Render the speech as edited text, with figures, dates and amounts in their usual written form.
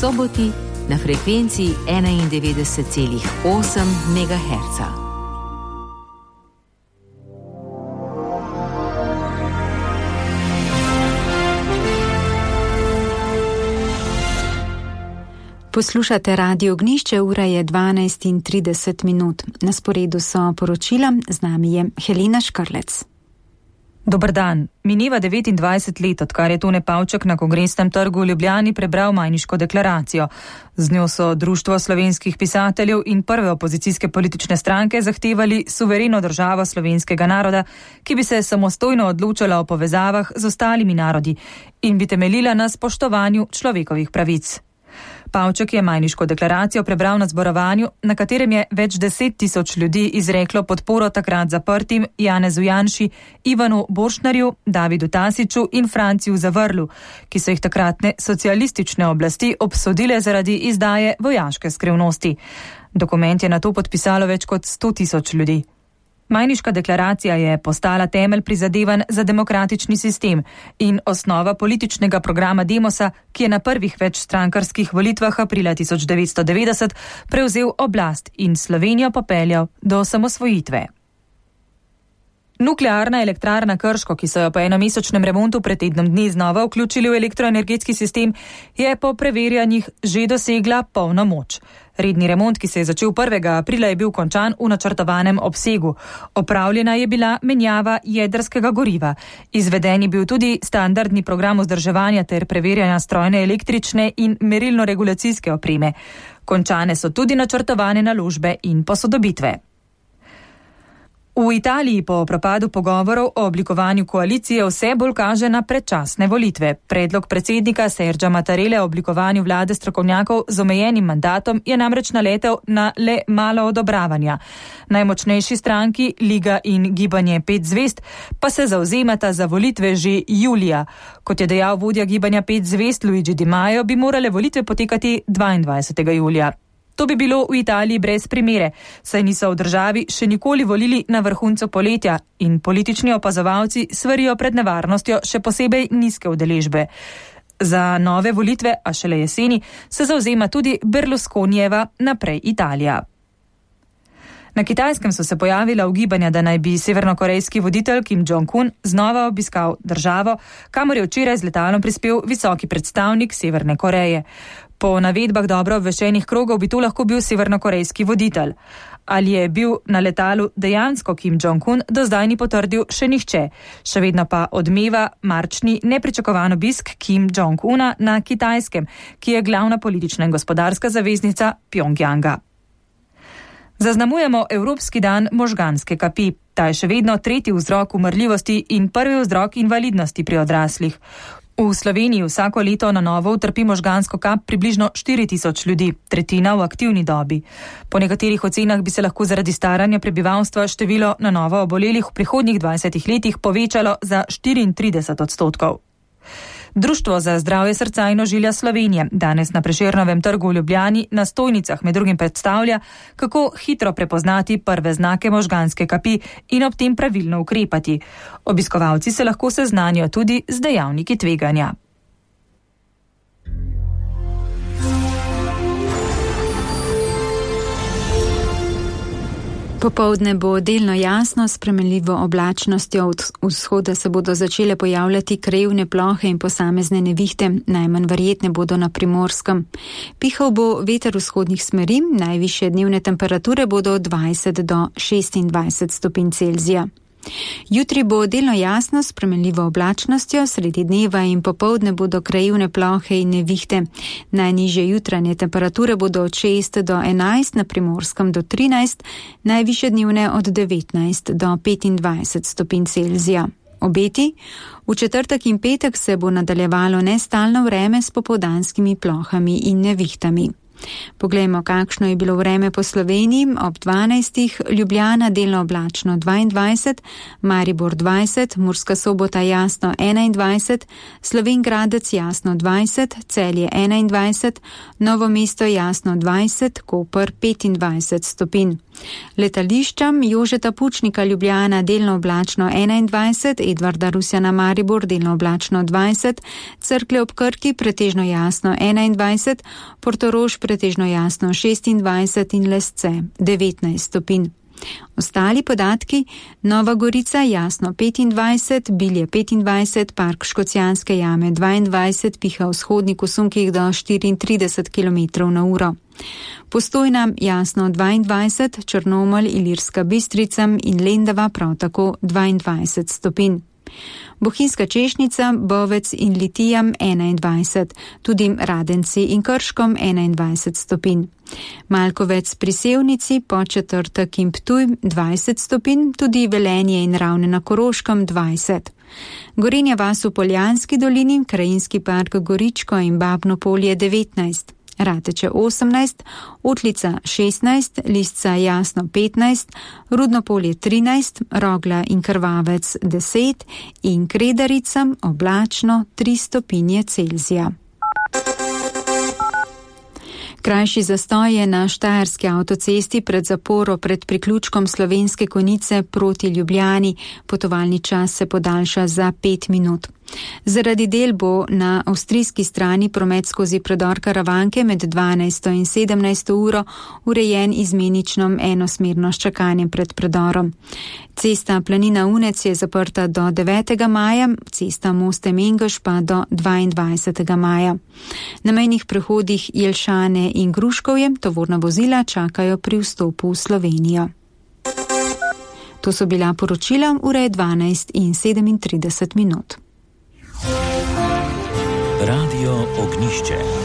soboti na frekvenci 91,8 MHz. Poslušate Radio Ognjišče, ura je 12:30. Na sporedu so poročila, z nami je Helena Škrlec. Dober dan. Mineva 29 let, odkar je Tone Pavček na Kongresnem trgu v Ljubljani prebral Majniško deklaracijo. Z njo so Društvo slovenskih pisateljev in prve opozicijske politične stranke zahtevali suvereno državo slovenskega naroda, ki bi se samostojno odločala o povezavah z ostalimi narodi in bi temeljila na spoštovanju človekovih pravic. Pavček je Majniško deklaracijo prebral na zborovanju, na katerem je več 10.000 ljudi izreklo podporo takrat zaprtim Janezu Janši, Ivanu Borštnarju, Davidu Tasiću in Franciju Zavrlu, ki so jih takratne socialistične oblasti obsodile zaradi izdaje vojaške skrivnosti. Dokument je nato podpisalo več kot 100.000 ljudi. Majniška deklaracija je postala temelj prizadevanj za demokratični sistem in osnova političnega programa Demosa, ki je na prvih večstrankarskih volitvah aprila 1990 prevzel oblast in Slovenijo popeljal do osamosvojitve. Nuklearna elektrarna Krško, ki so jo po enomesečnem remontu pred tednom dni znova vključili v elektroenergetski sistem, je po preverjanjih že dosegla polno moč. Redni remont, ki se je začel 1. aprila, je bil končan v načrtovanem obsegu. Opravljena je bila menjava jedrskega goriva. Izveden je bil tudi standardni program vzdrževanja ter preverjanja strojne električne in merilno-regulacijske opreme. Končane so tudi načrtovane naložbe in posodobitve. V Italiji po propadu pogovorov o oblikovanju koalicije vse bolj kaže na predčasne volitve. Predlog predsednika Sergia Mattarelle o oblikovanju vlade strokovnjakov z omejenim mandatom je namreč naletel na le malo odobravanja. Najmočnejši stranki, Liga in Gibanje 5 zvezd, pa se zavzemata za volitve že julija. Kot je dejal vodja Gibanja 5 zvezd Luigi Di Maio, bi morale volitve potekati 22. julija. To bi bilo v Italiji brez primere, saj niso v državi še nikoli volili na vrhuncu poletja in politični opazovalci svarijo pred nevarnostjo še posebej nizke udeležbe. Za nove volitve, a šele jeseni, se zavzema tudi Berlusconijeva Naprej Italija. Na Kitajskem so se pojavila ugibanja, da naj bi severnokorejski voditelj Kim Jong-un znova obiskal državo, kamor je včeraj z letalom prispel visoki predstavnik Severne Koreje. Po navedbah dobro obveščenih krogov bi to lahko bil severnokorejski voditelj. Ali je bil na letalu dejansko Kim Jong-un, do zdaj ni potrdil še nihče. Še vedno pa odmeva marčni nepričakovan obisk Kim Jong-una na Kitajskem, ki je glavna politična in gospodarska zaveznica Pjongjanga. Zaznamujemo Evropski dan možganske kapi. Ta je še vedno tretji vzrok umrljivosti in prvi vzrok invalidnosti pri odraslih. V Sloveniji vsako leto na novo utrpi možgansko kap približno 4.000 ljudi, tretjina v aktivni dobi. Po nekaterih ocenah bi se lahko zaradi staranja prebivalstva število na novo obolelih v prihodnjih 20 letih povečalo za 34%. Društvo za zdravje srca in ožilja Slovenije danes na Prešernovem trgu v Ljubljani na stojnicah med drugim predstavlja, kako hitro prepoznati prve znake možganske kapi in ob tem pravilno ukrepati. Obiskovalci se lahko seznanijo tudi z dejavniki tveganja. Popoldne bo delno jasno, s spremenljivo oblačnostjo. Od vzhoda se bodo začele pojavljati krajevne plohe in posamezne nevihte, najmanj verjetne bodo na Primorskem. Pihal bo veter vzhodnih smeri, najvišje dnevne temperature bodo od 20 do 26 stopinj Celzija. Jutri bo delno jasno, s spremenljivo oblačnostjo, sredi dneva in popoldne bodo krajevne plohe in nevihte. Najnižje jutranje temperature bodo od 6 do 11, na Primorskem do 13, najvišje dnevne od 19 do 25 stopinj Celzija. Obeti? V četrtek in petek se bo nadaljevalo nestalno vreme s popoldanskimi plohami in nevihtami. Poglejmo, kakšno je bilo vreme po Sloveniji. Ob 12. Ljubljana delno oblačno 22, Maribor 20, Murska Sobota jasno 21, Slovenj Gradec jasno 20, Celje 21, Novo mesto jasno 20, Koper 25 stopinj. Letališča Jožeta Pučnika Ljubljana delno oblačno 21, Edvarda Rusjana Maribor delno oblačno 20, Cerklje ob Krki pretežno jasno 21, Portorož pretežno jasno 26 in Lesce 19 stopinj. Ostali podatki: Nova Gorica jasno 25, Bilje 25, Park Škocjanske jame 22, piha vzhodnik v sunkih do 34 km/h. Postojna jasno 22, Črnomelj, Ilirska Bistrica in Lendava prav tako 22 stopinj. Bohinjska Češnica, Bovec in Litija 21, tudi Radenci in Krškom 21 stopinj. Malkovec pri Sevnici, Podčetrtek in Ptuj 20 stopinj, tudi Velenje in Ravne na Koroškem 20. Gorenja vas v Poljanski dolini, Krajinski park Goričko in Babno Polje 19. Rateče 18, Otlica 16, Lisca jasno 15, Rudno Polje 13, Rogla in Krvavec 10 in Kredarica oblačno 3 stopinje Celzija. Krajši zastoj je na Štajerski avtocesti pred zaporo pred priključkom Slovenske Konjice proti Ljubljani. Potovalni čas se podaljša za 5 minut. Zaradi del bo na avstrijski strani promet skozi predor Karavanke med 12. in 17. uro urejen izmenično enosmerno s čakanjem pred predorom. Cesta Planina Unec je zaprta do 9. maja, cesta Moste Mengeš pa do 22. maja. Na mejnih prehodih Jelšane in Gruškovje tovorna vozila čakajo pri vstopu v Slovenijo. To so bila poročila, ura je 12 in 37 minut. Radio Ognišče.